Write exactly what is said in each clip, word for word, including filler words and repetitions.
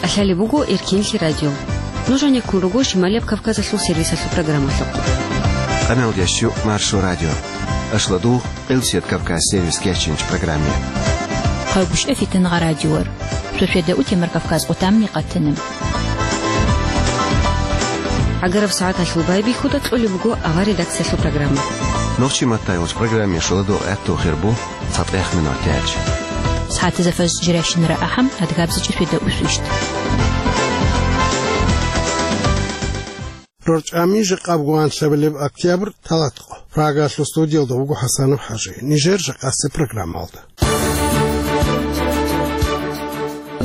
Лъалеб буго Эркинлъи радио. Нуж гьанеккун руго Шималияб Кавказалъул сервисалъул программалъухъ. Къаналдящу Маршо радио. Ашладу Къилсият Кавказ сервис кеченч программе. Хъайгуща фитангъа радиор. Шошеда утемар Кавказ отамни къатана. Агараб сагӀаталъул байбихьуда кьолеб буго авар редакциялъул программа. Нохчи маттайгъуч программе шоладу гӀатту хирбу. ЦатӀех минутач. СагӀатизафаз жиращинара ахӀам, адгабзичӀи феда усвищт. РорчӀами жакъаб гуанлъабилеб октябрь талатго. Прагалъул студиялда вуго ХӀасанов ХӀажи. Нижер жакъасеб программалда.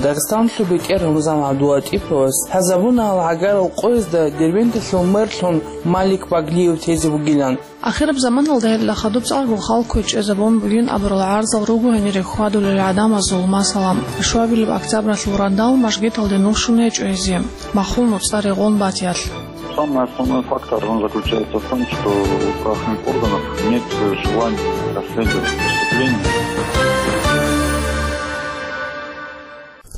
Дагъистанлъул бетӀер Рамазан ГӀабдулатӀиповас лъазабуна гьал гӀагарал къоязда Дербенталъул мэрлъун Малик Баглиев тезе вугилан. Ахираб заманалда гьелда хадуб цӀакъго халкъ кквечӀезабун бугин абурал гӀарзал руго гьенире хьвадулел гӀадамазул, масала, щуабилеб октябралъул радал мажгиталде нух щун гьечӀо гьезие, махул нуцӀа регъон батиялъ. Самый основной фактор, он заключается в том, что у правоохранительных органов нет желания расследовать преступление.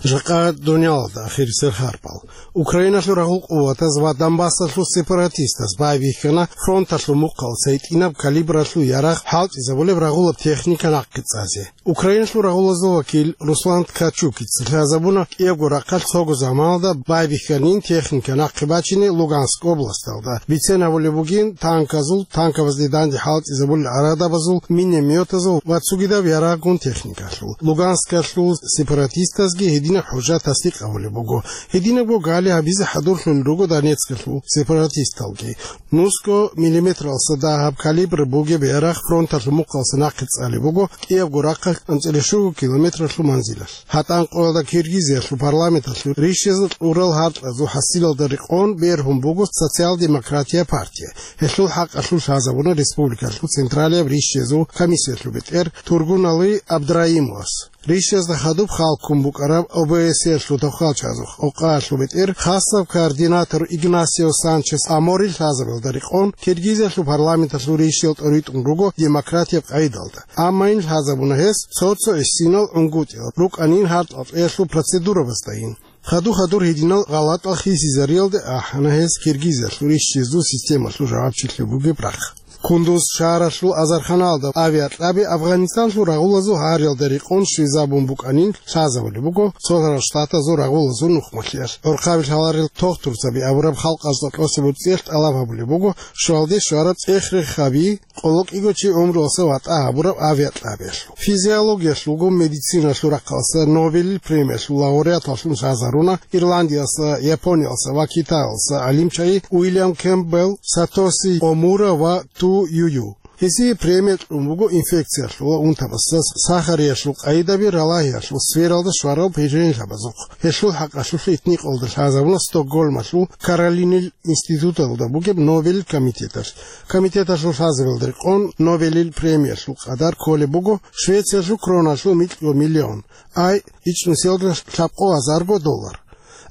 Жакъа дуниялалда ахирисел харпал. Украиналъул рагъул къуватаз ва Донбассалъул сепаратистаз байбихьана фронталъул мухъалъ гьитӀинаб калибралъул ярагъ хӀалтӀизабулеб рагъулаб техника нахъе цӀазе. Украиналъул рагъулазул вакил Руслан Ткачукица лъазабуна кӀиябго рахъалъ цого заманалда байбихьанин техника нахъе бачине Луганск областалда. Бицен гьабулеб бугин танказул, танкабазде данде хӀалтӀизабулел гӀарадабазул, минометазул ва цогидаб ярагъгун техникалъул. Луганскалъул сепаратистазги гьединаб хӀужа тасдикъ гьабулеб буго. Гьединабго гали гьабизе хӀадурлъулел руго Донецкалъул сепаратисталги. Нусго миллиметралса дагьаб калибр бугеб ярагъ фронталъул мухъалъ нахъе цӀалеб буго кӀиябго рахъалъ анцӀила щуго километралъул манзилалъ. ГьатӀан къоялда Киргизиялъул парламенталъул рищезул кьурал гьаркьазул хӀасилалда рекъон бергьун буго Социал-демократия партия. Гьелъул хӀакъалъулъ лъазабуна республикалъул централияб рищезул комиссиялъул бетӀер Тургунали Абдраимовас. Рищезда хадуб хал ккун букӀараб ОБСЕ-ялъул тавхалчазухъ къокъаялъул бетӀер хасаб координатор Игнасио Санчес Амори лъазабиялда рекъон Киргизиялъул парламенталъул рищиял тӀоритӀун руго демократияб къагӀидалда. Амма ин лъазабуна гьес цо-цо гӀисинал гӀунгутӀил рукӀанин гьаркьал кьеялъул процедурабаздайин. Хадур-хадур гьединал гъалатӀал хисизариялде ахӀана гьес Киргизиялъул рищезул системалъул жавабчилъи бугеб рахъ. Кундуз шагьаралъул азарханалда авиакьаби Афганистанлъул рагъулазул гьариялда рекъон щвезабун букӀанин лъазабулеб буго Цолъарал Штатазул рагъулазул нухмалъиялъ. ГӀурхъаби лъаларел тохтурцаби абураб халкъалъул кьосеб цӀиялъ тӀалаб гьабулеб буго щвалде щвараб цӀех-рехаби, къоло кӀиго чи гӀумруялъа ватӀа гьабураб авиакьабиялъул. Физиологиялъулго медициналъул рахъалъа Нобелил премиялъул лауреаталлъун лъазаруна Ирландиялъа, Япониялъа ва Китаялъа гӀалимчагӀи Уильям Кэмпбелл, Сатоси Омура ва Ту Юю. Гьесие премия кьун буго инфекциялъул ва унтабазда сахариялъул къайдаби ралагьиялъул сфералда щварал пижгьенлъабазухъ. Гьелъул хӀакъалъулъ итникъалда лъазабуна Стокгольмалъул Каролинил институталда бугеб Нобелил комитеталъ. Комитеталъул лъазабиялда рекъон Нобелил премиялъул къадар кколеб буго Швециялъул кроналъул микьго миллион, ай ичӀнусиялда лъабкъо азарго доллар.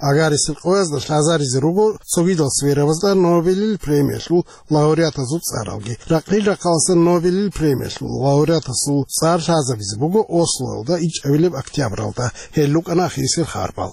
Агарисел къоязда лъазаризе руго цогидал сферабазда Нобелил премиялъул лауреатазул цӀаралги. Ракъил-рахъалъа Нобелил премиялъул лауреатасул цӀар лъазабизе буго Ослоялда ичӀабилеб октябралда. Гьел рукӀана ахирисел харпал.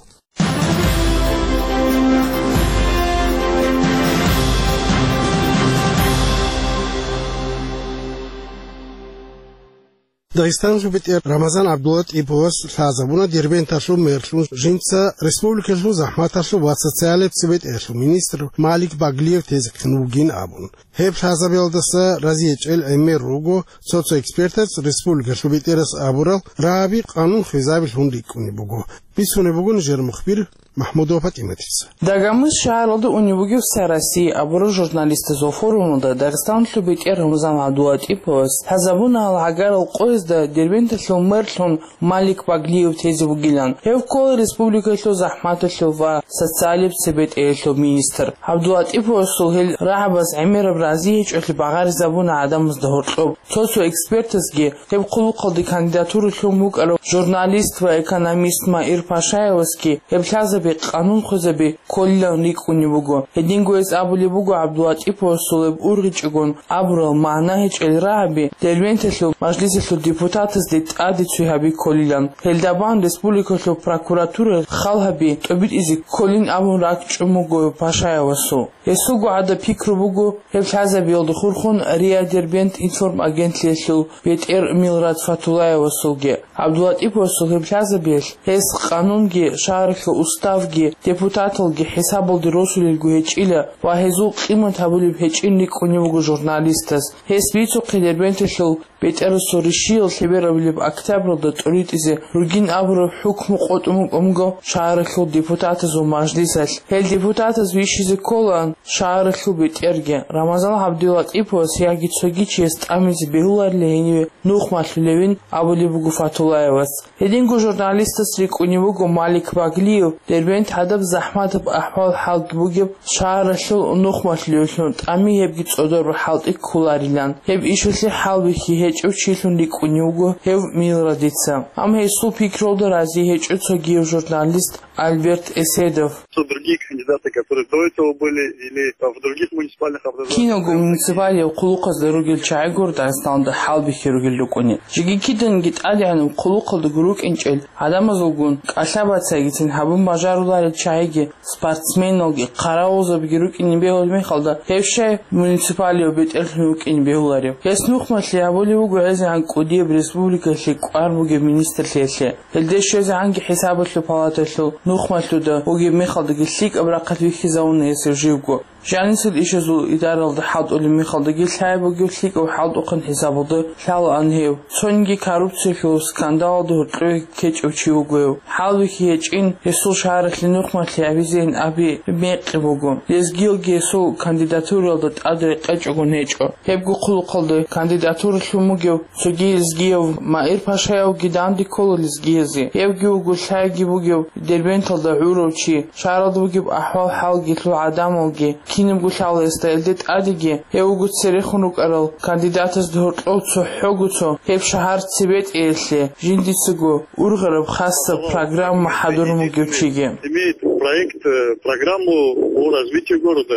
Дагъистанлъул бетӀер Рамазан ГӀабдулатӀиповас лъазабуна Дербенталъул мэрлъун жинца республикалъул захӀматалъул ва социалияб цебетӀералъул министр Малик Баглиев тезехъин вугин абун. Гьеб лъазабиялдаса разиячӀел гӀемер руго цо-цо экспертаз республикалъул бетӀерас абурал рагӀаби къанун хвезабилъун рикӀкӀунеб буго. Бицунеб буго нижер мухбир МахӀмудова ПатӀиматица. Дагъмыс шагьаралда унеб бугеб «Вся Россия» абураб журналистазул форумалда Дагъистанлъул бетӀер Рамазан ГӀабдулатӀиповас лъазабуна гьал гӀагарал къоязда Дербенталъул мэрлъун Малик Баглиев тезе вугилан. Гьев ккола республикалъул захӀматалъул ва социалияб цебетӀералъул министр. ГӀабдулатӀиповасул гьел рагӀабаз гӀемераб разиячӀеблъи багъаризабуна гӀадамазда гьоркьоб. Цо-цо экспертазги гьеб хъулухъалде кандидатура лъун букӀарав журналист ва экономист Маир Пашаевасги гьеб лъазаби къанун хвезаби кколилан рикӀкӀунеб буго. Гьединго гьес абулеб буго ГӀабдулатӀиповасул гьеб ургъичӀогун абурал магӀна гьечӀел рагӀаби Дербенталъул мажлисалъул депутатазде тӀаде цой гьаби кколилан. Гьелда бан республикалъул прокуратуралъ хал гьаби тӀобитӀизе кколин абун ракӀчӀун буго Пашаевасул. Гьесулго гӀадаб пикру буго гьеб лъазабиялда хурхун РИА Дербент информагентлъиялъул бетӀер Милрат Фатуллаевасулги. ГӀабдулатӀиповасул гьеб лъазабиялъ гьес къанунги, шагьаралъул уставги, депутаталги хӀисабалде росулелго гьечӀила ва гьезул къимат гьабулеб гьечӀин рикӀкӀунеб буго журналистаз. Гьес бицухъе Дербенталъул бетӀерасул ришиял лъеберабилеб октябралда тӀуритӀизе ругин абураб хӀукму къотӀун букӀун буго шагьаралъул депутатазул мажлисалъ. Гьел депутатаз вищизе кколаан шагьаралъул бетӀерги. Рамазан ГӀабдулатӀиповас яги цоги чияс тӀамизе бегьуларила гьениве нух малъулевин абулеб буго Фатуллаевас. Гьединго журналистас рикӀкӀунеб буго Малик Баглиев, Дербент гӀадаб захӀматаб ахӀвал-хӀалги бугеб шагьаралъул нух малъулевлъун тӀами гьебги цӀодор хӀалтӀи кколарилан. Гьеб ишалъе хӀалбихьи гьечӀев чилъун рикӀкӀунев вуго гьев Милрадица. Амма гьесул пикрулда рази гьечӀо цогияв журналист Альберт Эседов. Что другие кандидаты, которые до этого были или в других муниципальных образованиях. Киналго муниципалияб хъулухъазда ругел чагӀи гуро Дагъистаналда хӀалбихьи ругел рукӀуни. Жеги киданги тӀадегӀанаб хъулухъалдаго рукӀинчӀел гӀадамазулгун кӀалъа-бацайгицин гьабун бажаруларел чагӀиги, спортсменалги, хъаравулзабиги рукӀине бегьулеб мехалда, гьеб щай муниципалияб бетӀерлъун вукӀине бегьуларев? Гьес нухмалъи гьабулеб буго гӀезегӀан кӀудияб республикалъе кӀвар бугеб министрлъиялъе. Гьелде щвезегӀанги ХӀисабалъул палаталъул нухмалъуда вугеб мехалдаги лъикӀаб рахъалъ вихьизавуна гьесив живго. Жанисел ишазул идаралда хӀалтӀулеб мехалдаги лъай бугев лъикӀав хӀалтӀухъан хӀисабалда лъалаан гьев. Цониги коррупциялъул скандалалда гьоркьове ккечӀев чи вуго гьев. ХӀалбихьи гьечӀин, гьесул шагьаралъе нухмалъи гьабизейин аби мекъи буго. Лезгиялги гьесул кандидатураялда тӀад рекъечӀогун гьечӀо. Гьебго хъулухъалда кандидатуралъун бугев цоги лезгияв Маир Пашаевги данде ккола лезгиязе. Гьевги вуго лъайги бугев Дербенталда гӀурав чи, шагьаралда бугеб ахӀвал-хӀалги лъугӀа гӀадамалги кинабго лъала гьесда. Гьелде тӀадеги гьев вуго церехун рукӀарал кандидатазда гьоркьов цохӀого цо гьеб шагьар цебетӀеялъе жиндицаго ургъараб хасаб программа хӀадурун вугев чиги. Имеет проект, э, программу по развитию города.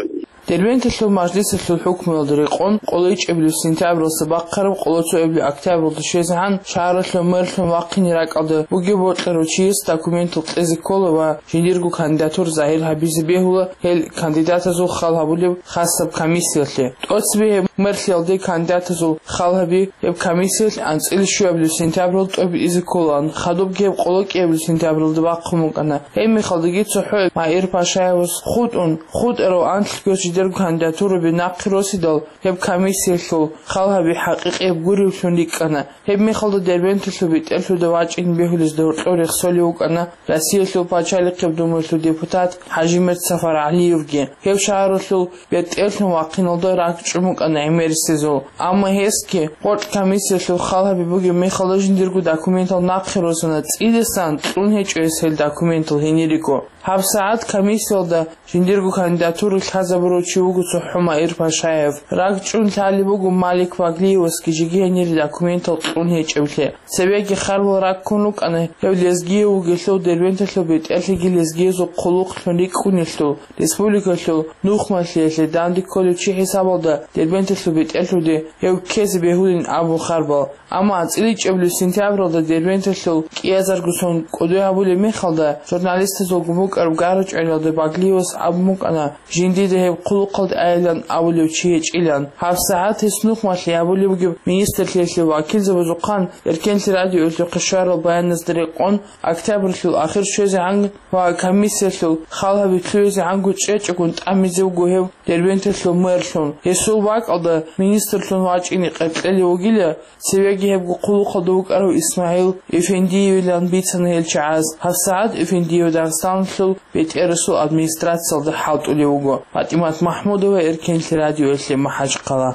Дербенталъул мажлисалъул хӀукмуялда рекъон, къоло ичӀабилеб сентябралдаса бахъараб къоло цоабилеб октябралда щвезегӀан шагьаралъул мэрлъун вахъине ракӀалда бугеб бокьарав чияс документал кьезе ккола ва жиндирго кандидатура загьир гьабизе бегьула гьел кандидатазул хал гьабулеб хасаб комиссиялъе. ТӀоцебе гьеб мэрлъиялде кандидатазул хал гьаби гьеб комиссиялъ анцӀила щуабилеб сентябралда тӀобитӀизе кколаан, хадубги гьеб къоло кӀиабилеб сентябралда бахъун букӀана. Гьеб мехалдаги цохӀо Маир Пашаевас хутӀун, хутӀарав анлъго жидерго кандидатураби нахъе росидал, гьеб комиссиялъул хал гьаби хӀакъикъияб гуревлъун рикӀкӀана. Гьеб мехалда Дербенталъул бетӀерлъуда вачӀине бегьулезда гьоркьов рехсолев вукӀана Россиялъул Пачалихъеб Думаялъул депутат ХӀажимет СафаргӀалиевги. Гьев шагьаралъул бетӀерлъун вахъиналда ракӀчӀун букӀана гӀемерисезул. Амма гьесги къоркь комиссиялъул хал гьаби бугеб мехалда жиндирго документал нахъе росана, цӀидасан кьун гьечӀо гьес гьел документал гьенириго. ГьабсагӀат комиссиялда жиндирго кандидатура лъазабурав чи вуго цохӀо Маир Пашаев. РакӀчӀун лъалеб буго Малик Ваглиевасги жеги гьенире документал кьун гьечӀеблъи. Цебеги харбал раккун рукӀана гьев лезгияв вугелъул, Дербенталъул бетӀерлъиги лезгиязул хъулухълъун рикӀкӀунелъул, республикалъул нухмалъиялъе данде кколев чи хӀисабалда Дербенталъул бетӀерлъуде гьев ккезе бегьулин абун харбал. Амма анцӀила ичӀабилеб сентябралда Дербенталъул кӀиазаргосон кӀодой гьабулеб мехалда, журналистазулгун букӀараб гара-чӀвариялда Баглиевас абун букӀана, жиндида гьеб хъулухъалде айилан абулев чи гьечӀилан. ГьабсагӀат гьес нухмалъи гьабулеб бугеб министрлъиялъе вакилзабазухъан Эркенлъи радиоялъухъе щварал баяназда рекъон, октябралъул ахир щвезегӀан ва комиссиялъул хал гьаби лъугӀизегӀанго чӀечӀогун тӀамизе вуго гьев Дербенталъул мэрлъун. Гьесул бакӀалда министрлъун вачӀине къеркьелев вугила, цевеги гьебго хъулухъалда вукӀарав ИсмагӀил Эфендиевилан бицана гьел чагӀаз. ГьабсагӀат Эфендиев Дагъистаналъул бетӀерасул администрациялда хӀалтӀулев вуго. ПатӀимат МахӀмудова, Эркенлъи радиоялъе, МахӀачхъала.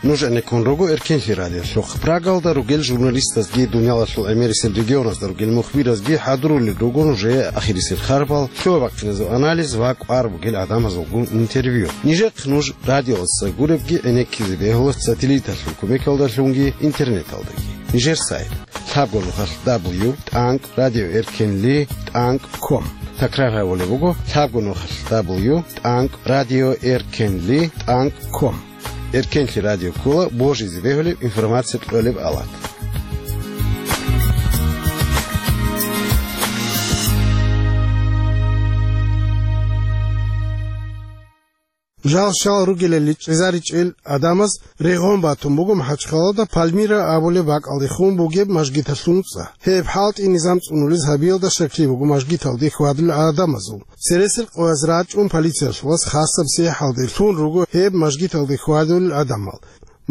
Нуж гӀенеккун руго Эркенлъи радиолъухъ. Прагалда ругел журналистазги, дуниялалъул гӀемерисел регионазда ругел мухбиразги хӀадурулел руго нужее ахирисел харбал, лъугӀа-бахъиназул анализ ва кӀвар бугел гӀадамазулгун интервью. Нижехъ нуж радиоялдаса гуребги гӀенеккизе бегьула сателлиталъул кумекалдалъунги интернеталдаги. Нижер сайт: лъабго нухалъ дабл ю тӀанкӀ радио эркенли тӀанкӀ ком. Такрар гьабулеб буго: лъабго нухалъ дабл ю тӀанкӀ радио эркенли тӀанкӀ ком. Эркенлъи радио ккола божизе бегьулеб информация кьолеб авлад. Жал-щал ругелали чӀезаричӀел гӀадамаз регъон батун буго МахӀачхъалада Пальмира абулеб бакӀалдехун бугеб мажгиталъул нуцӀа. Гьеб хӀалтӀи низам цӀунулез гьабиялда щаклъи буго мажгиталде хьвадулел гӀадамазул. Цересел къояз рачӀун полициялъулас хасаб сехӀалде лъун руго гьеб мажгиталде хьвадулел гӀадамал.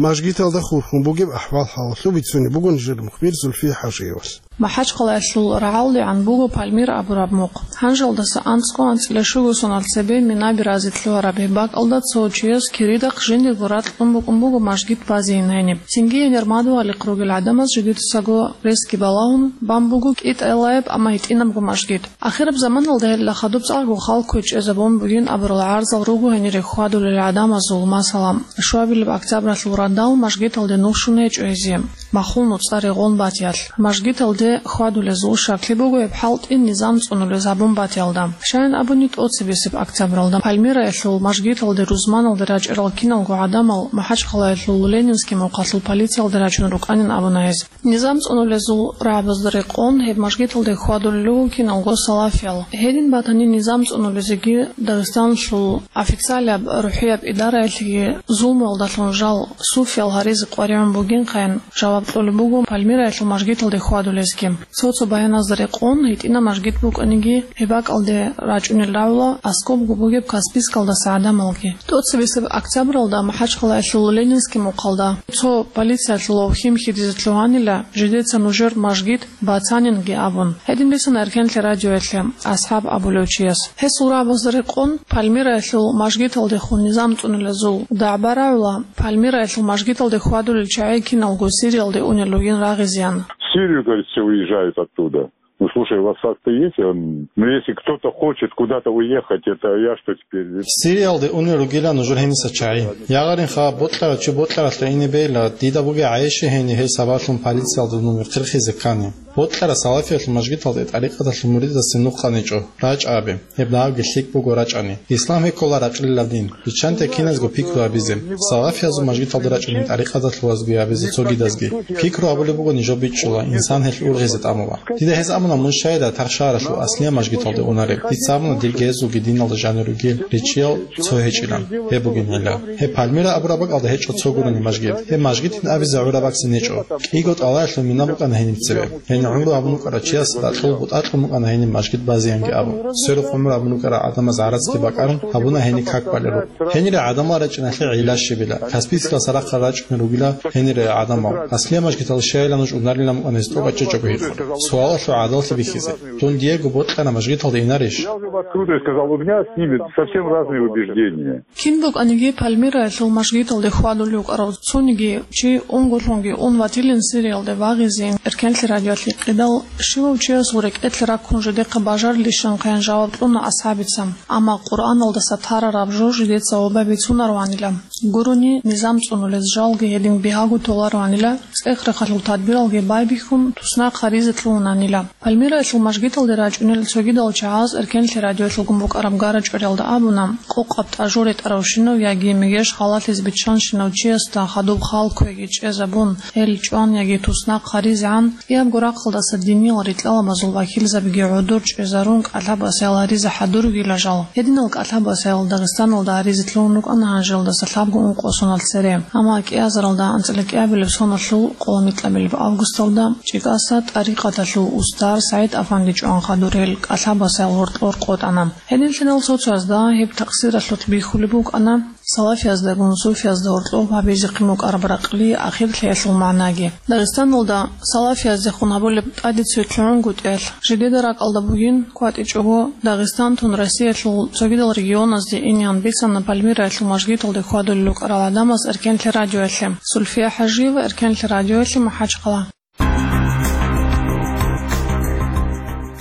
Мажгиталда хурхун бугеб ахӀвал-хӀалалъул бицунеб буго нижер мухбир Зульфия ХӀажиевалъ. МахӀачхъалаялъул рагӀалдегӀан буго Пальмира абураб мухъ. Гьанжалдаса анцӀго анцӀила щуго соналъ цебе Минаби разилъугьараб гьеб бакӀалда цо чияс киридахъ жиндирго ракь кьун букӀун буго мажгит базейин гьениб. Цинги гьенир мадугьалихъ ругел гӀадамаз жидецаго ресги балагьун бан буго кӀитӀалаяб, амма гьитӀинабго мажгит. Ахираб заманалда гьелда хадуб цӀакъго халкуе чӀезабун бугин абурал гӀарзал руго гьенире хьвадулел гӀадамазул, масала, щуабилеб октябралъул радал мажгиталде нух щун гьечӀо гьезие, махул нуцӀа регъон батиялъ. Мажгиталде хьвадулезул щаклъи буго гьеб хӀалтӀи низам цӀунулез гьабун батиялда. Щайин абуни, тӀоцебесеб октябралда Пальмираялъул мажгиталде рузманалде рачӀарал киналго гӀадамал МахӀачхъалаялъул Ленинский мухъалъул полициялде рачун рукӀанин абуна гьез. Низам цӀунулезул рагӀабазда рекъон гьеб мажгиталде хьвадулел руго киналго салафиял. Гьедин батани, низам цӀунулезеги Дагъистаналъул официалияб рухӀияб идараялъеги зулмуялдалъун жал суфиял гьаризе къваригӀун бугинхъаян жаваб кьолеб буго Пальмираялъул мажгиталде хьвадулезги. Цо-цо баяназда рекъон, гьитӀинаб мажгит букӀаниги, гьеб бакӀалде рачӀунел рагӀула аскӀобго бугеб Каспийскалдаса гӀадамалги. ТӀоцебесеб октябралда МахӀачхъалаялъул Ленинский мухъалда цо полициялъулав хьим хьидизе лъугьанила, жидеца нужер мажгит бацанинги абун. Гьедин бицана Эркенлъи радиоялъе асхӀаб абулев чияс. Гьесул рагӀабазда рекъон, Пальмираялъул мажгиталдехун низам цӀунулезул дагӀба рагӀула, Пальмираялъул мажгиталде хьвадулел чагӀи киналго Сириялде унел ругин рагъизеян. В Сирию, говорит, все уезжают оттуда. Ну, слушай, у вас факты есть? Он, ну, если кто-то хочет куда-то уехать, это я что теперь? Сириялде унел ругила нужер гьениса чагӀи. Ягъаринха, бокьарав чи бокьаралъа ине бейла, дида бугеб гӀайиб гьениб гьей сабаблъун полициялда нуж хирхизе ккани. Бокьараб салафиялъул мажгиталде тӀарикъаталъул муридасде нух къаничӀо, рачӀа абе. Гьеб дагьабги лъикӀ буго рачӀани. Ислам гьеккола ракьлилаб дин. Биччанте киназго пикру гьабизе. Салафиязул мажгиталде рачӀунин тӀарикъаталъулазги гьабизе цогидазги. Пикру гьабулеб буго нижер бичӀчӀула, инсан гьелъ ургъизе тӀамула. Дида гьез абуна, мун щайда тарх шагьаралъул аслияб мажгиталде унареб. Дица абуна, дирги гьезулги диналда жанир ругел ричиял цо гьечӀилан. Гьеб бугин гӀилла. Гьеб Пальмира абураб бакӀалда гьечӀо цо гурони мажгит. Гьеб мажгитин абизе гӀураб бакӀ нечӀо. КӀиго тӀалаялъул мина букӀана гьениб цебе. Гьениб гӀумру гьабун вукӀарав чияс ракьул бутӀакьун букӀана гьениб мажгит базеянги абун. Сверухъ гӀумру гьабун вукӀарал гӀадамаз гӀарацги бакӀарун гьабуна гьениб как балеб рукъ. Гьенире гӀадамал рачӀиналъе гӀилла щибила. Каспийскалдаса рахъал рачӀунел ругила гьенире гӀадамал. Аслияб мажгиталде щайила нуж унарилан букӀана гьез тӀокӀаб чӀечӀого гьикъун. Суалалъул гӀадаллъи бихьизе. Дун диего бокьана мажгиталде инарищ? Я уже в открытую сказал, у меня с ними совсем разные убеждения. Кин букӀаниги Пальмираялъул мажгиталде хьвадулев вукӀарав цониги чи унго лъунги ун ватилин Сириялде вагъизейин Эркенлъи радиоялъе кьидал, щивав чиясул рекӀелъе раккун жидехъа бажарилищинхъаян жаваб кьуна асхӀабица. Амма Къуръаналдаса тарараб жо жидеца ваба бицунароанила. Гурони низам цӀунулез жалги гьедин бигьаго толароанила, цӀех-рахъалъул тадбиралги байбихьун, туснахъ гьаризе лъугьунанила. Пальмираялъул мажгиталде рачӀунел цогидал чагӀаз Эркенлъи радиоялъулгун букӀараб гара-чӀвариялда абуна, къокъаб тӀажу ретӀаравщинав яги мегеш халалъизе биччанщинав чиясда хадуб халкуеги чӀезабун, гьел чӀван яги туснахъ гьаризегӀан, кӀиябго рахъалдаса диниял рикьалабазул вакилзабиги гӀодор чӀезарун кӀалъа-басаял гьаризе хӀадур ругила жал. Гьединал кӀалъа-басаял Дагъистаналда гьаризе лъугьун рукӀана гьанжелдаса лъабго ункъо соналъ цере. Амма кӀиазаралда анцӀила кӀиабилеб соналъул къоло микьабилеб августалда ЧӀикӀаса тӀарикъаталъул устар СагӀид-афанди чӀван хадур гьел кӀалъа-басаял гьоркьор къотӀана. Гьединлъидал цо-цоязда гьеб такъсиралъулъ бихьулеб букӀана салафияздагун суфиязда гьоркьоб гьабизехъин букӀараб ракьлъи ахирлъиялъул магӀнаги. Дагъистаналда салафияздехун гьабулеб тӀаде цо лъугӀунгутӀиялъ, жидеда ракӀалда бугин, кватӀичӀого Дагъистан тун Россиялъул цогидал регионазде инеян бицана Пальмираялъул мажгиталде хьвадулел рукӀарал гӀадамаз Эркенлъи радиоялъе. Сульфия ХӀажиева, Эркенлъи радиоялъе, МахӀачхъала.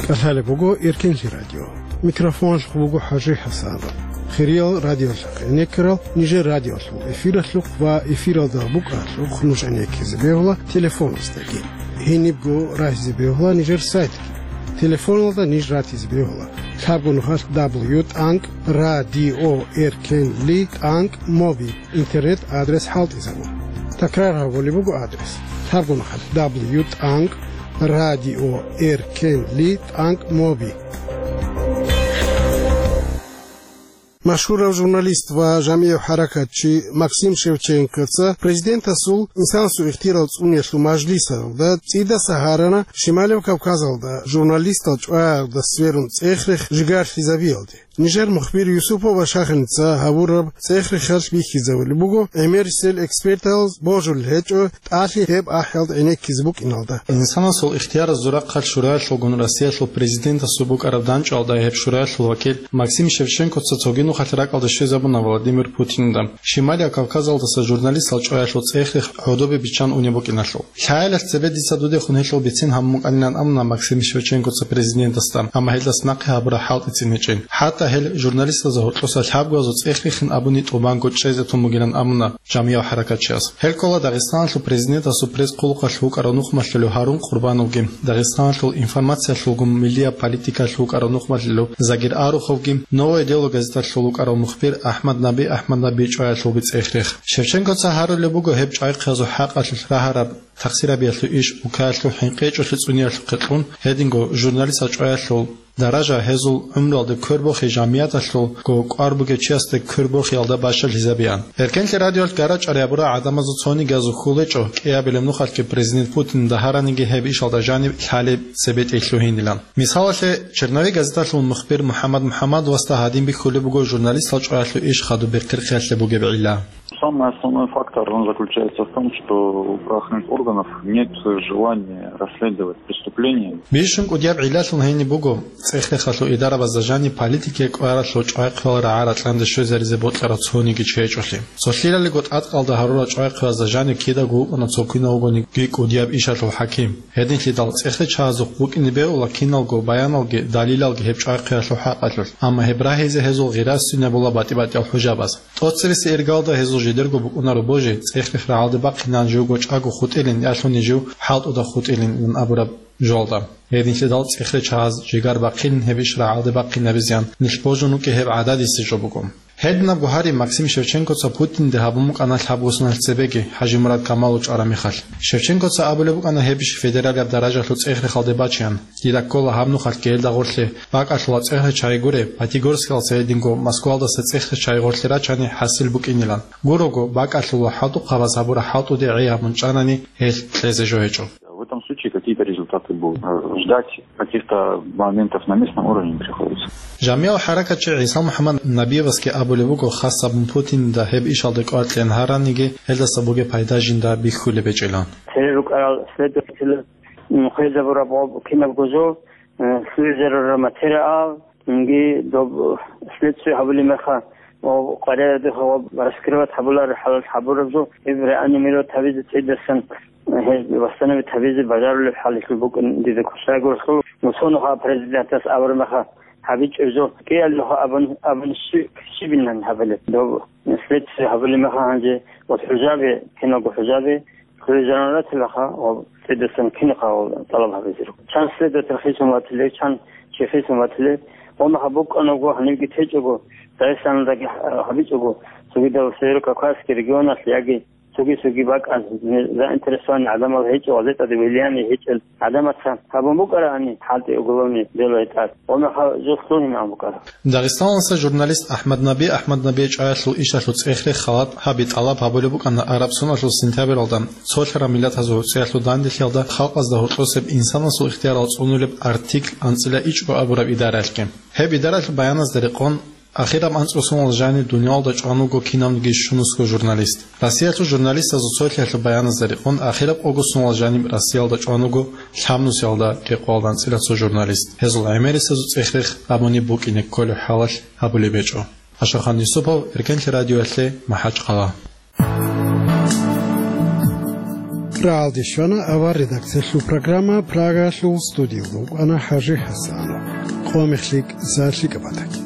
КӀалъалеб буго Эркенлъи радио. Микрофоналъухъ буго ХӀажи ХӀасанов. Хириял радиолъахъ гӀенеккарал нижер радиолъул эфиралъухъ ва эфиралда букӀаралъухъ нуж гӀенеккизе бегьула телефоназдаги. Гьенибго рагьизе бегьула нижер сайтги. Телефоналда ниж ратизе бегьула: лъабго нухалъ дабл ю тӀанкӀ радио эркенли тӀанкӀ моби интернет-адрес хӀалтӀизабун. Такрар гьабулеб буго адрес: лъабго нухалъ дабл ю тӀанкӀ радио эркенли тӀанкӀ моби. Машгьурав журналист ва жамигӀав хӀаракатчи Максим Шевченкоца президентасул инсанасул ихтиярал цӀуниялъул мажлисалда цӀидаса гьарана Шималев Кавказалда журналистал чӀваялда сверун цӀех-рех жигарлъизабиялде. Нижер мухбир Юсупова Шаханица гьабураб цӀех-рехалъ бихьизабулеб буго гӀемерисел экспертал божулел гьечӀо тӀалъи гьеб ахӀиялда гӀенеккизе букӀиналда. Инсанасул ихтияр зурахъалъ шураялъулгун Россиялъул президентасул букӀараб дандчӀвалда гьеб шураялъул вакил Максим Шевченкоца цоги нухалъ ракӀалде щвезабуна Владимир Путинда, Шималияб Кавказалдаса журналистал чӀваялъул цӀех-рех гӀодобе биччан унеб букӀиналъул. Лъаялъ цебе дица дудехун гьелъул бицин гьабун букӀанилан амуна Максим Шевченкоца президентасда, амма гьелдаса нахъе гьабураб хӀалтӀицин гьечӀин. ХӀатта гьел журналистазда гьоркьоса лъабгоязул цӀех-рехин абуни тӀубанго чӀезе тун бугилан амуна жамигӀав хӀаракатчияс. Гьел ккола Дагъистаналъул президентасул пресс-хъулухъалъ вукӀарав нухмалъулев Гьарун Къурбановги, Дагъистаналъул информациялъулгун миллияб политикалъ вукӀарав нухмалъулев Загир Аруховги, «Новое дело» газеталъул вукӀарав мухбир АхӀмад Наби АхӀмад Набий чӀваялъулги цӀех-рех. Шевченкоца гьарулеб буго гьеб чӀвайхъиязул хӀакъалъулъ рагьараб тахсирабиялъул иш, укаялъул хӀинкъи гьечӀолъи цӀуниялъухъе кьун, гьединго журналистал чӀваялъул даража гьезул гӀумруялда квербохи жамияталъулго кӀвар бугев чиясда квербохиялда бащалъизабеян. Эркенлъи радиоялъ гарачӀараб гьабурал гӀадамазул цониги азухъул гьечӀо, кӀиабилеб нухалъги президент Путинда гьараниги гьеб ишалда жаниб лъалеб цебетӀей лъугьинилан. Мисалалъе, «Черновик» газеталъул мухбир МухӀаммад МухӀаммадовасда гьадин бихьулеб буго журналистал чӀваялъул иш хадуб бертихъиялъе бугеб гӀилла. Самый основной фактор, он заключается в том, что у правоохранительных органов нет желания расследовать преступления. Бищун кӀудияб гӀиллалъун гьениб буго, цӀех-рехалъул идарабазда жаниб политикияб кӀваралъул чӀвайхъиял рагӀа-ракьанде щвезаризе бокьарав цониги чи гьечӀолъи. Цолъилали гъотӀа-къалда гьарурал чӀвайхъиязда жаниб кидаго вукӀана цо кинав вугониги кӀудияб ишалъул хӀаким. Гьединлъидал цӀех-речагьазухъ букӀине бегьула киналго баяналги далилалги гьеб чӀвайхъиялъул хӀакъалъулъ, амма гьеб рагьизе гьезул гъира сцинабула батӀи-батӀиял хӀужабаз. ТӀоцерисе иргалда гьезул жидерго букӀунаро божи, цӀех-рех рагӀалде бахъинилан живго чӀаго хутӀилин, ялъуни жив хӀалтӀуда хутӀилин абураб жоялда. Гьединлъидал цӀех-речагьаз жигар бахъинин гьеб иш рагӀалде бахъинабизеян нилъ божун вукӀи гьеб гӀададисезул буго. Гьединабго гьари Максим Шевченкоца Путинде гьабун букӀана лъабго соналъ цебеги, ХӀажимурад Камалов чӀараб мехалъ. Шевченкоца абулеб букӀана гьеб иш федералияб даражалъул цӀех-рехалде бачеян. Дида ккола гьаб нухалъги гьелда гъорлъе бакӀалъула цӀех-речагьи гуре, Пятигорскалдаса гьединго Москвалдаса цӀех-речагьи гъорлъе рачани хӀасил букӀинилан. Гурого, бакӀалъула хӀалтӀухъабаз гьабураб хӀалтӀуде гӀей гьабун чӀанани, гьелъ кьезе жо гьечӀо. В этом случае какие-то результаты будут. Ждать каких-то моментов на местном уровне не приходится. ЖамигӀав хӀаракатчи ГӀиса МухӀаммад Набиевасги абулеб буго, хас гьабун Путинда гьеб ишалда кӀвар кьеян гьараниги, гьелдаса бугеб пайда жинда бихьулеб гьечӀилан. Цере рукӀарал следователь, м, хвезабураб гъоб кинабго жо, э, лъугӀизарураб материал, цинги доб следствие гьабулеб мехалъ, ва къваригӀараб духъ ва раскрывать гьабулареб хӀалалъ гьабураб жо, гьеб реанимировать гьабизе цӀидасан, э, гьез восстановить гьабизе бажарулеб хӀалалъул букӀин дида ккола. Щайгурелъул, мусонухъа президентас абураб мехалъ гьабичӀеб жо, кӀиялдухъа абун, абун щи-, щибилан гьабилеб. Доб следствие гьабулеб мехалъ гьанже ва хӀужаби, киналго хӀужаби, хвезарун ратилаха ва цӀидасан кинаха ва тӀалаб гьабизеро. Чан следователь хисун ватиле, чан чи хисун ватиле, ва маха букӀанаго, гьанибги течӀого, Дагъистаналдаги гьабичӀого, цогидал Северо-Кавказский регионалъ яги цоги-цоги бакӀал, заинтересованный гӀадамал гьечӀо, газетада влияние гьечӀел гӀадамаца гьабун букӀарани, хӀалтӀи уголовный дело гьетӀат, ва маха жо лъугьинаб букӀараб. Дагъистаналдаса журналист АхӀмад Наби АхӀмад Набие чӀваялъул ишалъул цӀех-рех халат гьаби тӀалаб гьабулеб букӀана араб соналъул сентябралда, цолъараб миллатазул гӀуцӀиялъул данделъиялда халкъазда гьоркьосеб инсанасул ихтиярал цӀунулеб артикль анцӀила ичӀго абураб идараялъги. Гьеб идараялъул баяназда рекъон, ахираб анцӀго соналъ жаниб дуниялалда чӀван вуго кинавниги щунусго журналист. Россиялъул журналистазул цолъиялъул баяназда рекъон, ахираб къого соналъ жаниб Россиялда чӀван вуго лъабнусиялда рекъоялда анцӀила цо журналист. Гьезул гӀемерисезул цӀех-рех абуни букӀине кколеб хӀалалъ гьабулеб гьечӀо. Ашахан Юсупов, Эркенлъи радиоялъе, МахӀачхъала. РагӀалде щвана авар редакциялъул программа, Прагаялъул студиялда вукӀана ХӀажи ХӀасанов. Къо мехлъи, лъикӀаб батаги.